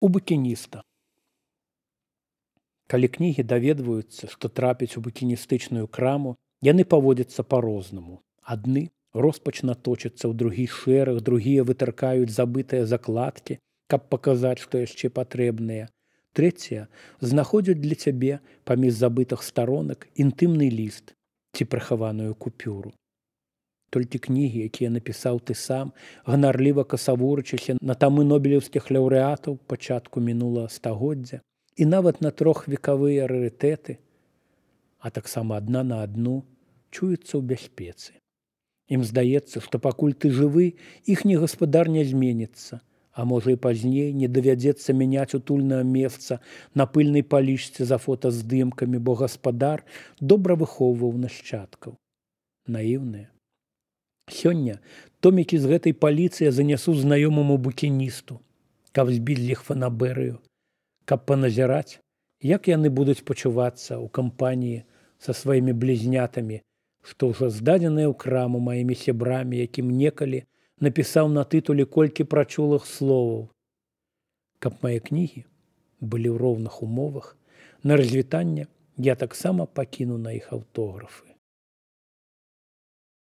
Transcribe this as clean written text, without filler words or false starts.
У букініста. Калі кнігі даведваюцца, што трапіць у букіністычную краму, яны паводзяцца па-рознаму. Адны роспачна точацца ў другі шэраг, другія вытыркаюць забытыя закладкі, каб паказаць, што яшчэ патрэбныя. Трэція знаходзяць для цябе паміж забытых старонак інтымны ліст ці прыхаваную купюру. Толькі кнігі, якія напісаў ты сам, ганарліва касавурычыся на тамы нобелеўскіх лаўрэатаў пачатку мінулага стагоддзя і нават на трохвекавыя рарытэты, а таксама адна на адну, чуюцца ў бяспецы. Ім здаецца, што пакуль ты жывы, іхні гаспадар не зменіцца, а можа і пазней не давядзецца мяняць утульнае месца на пыльнай палічцы за фотаздымкамі, бо гаспадар добра выхоўваў нашчадкаў. Наіўныя. Сёння томікі з гэтай паліцы я занясу знаёмаму букіністу, каб збіць з іх фанабэрыю, каб паназіраць, як яны будуць пачувацца ў кампаніі са сваімі блізнятамі, што ўжо здадзеныя ў краму маімі сябрамі, якім некалі напісаў на тытуле колькі прачулых словаў. Каб мае кнігі былі ў роўных умовах, на развітанне я таксама пакіну на іх аўтографы.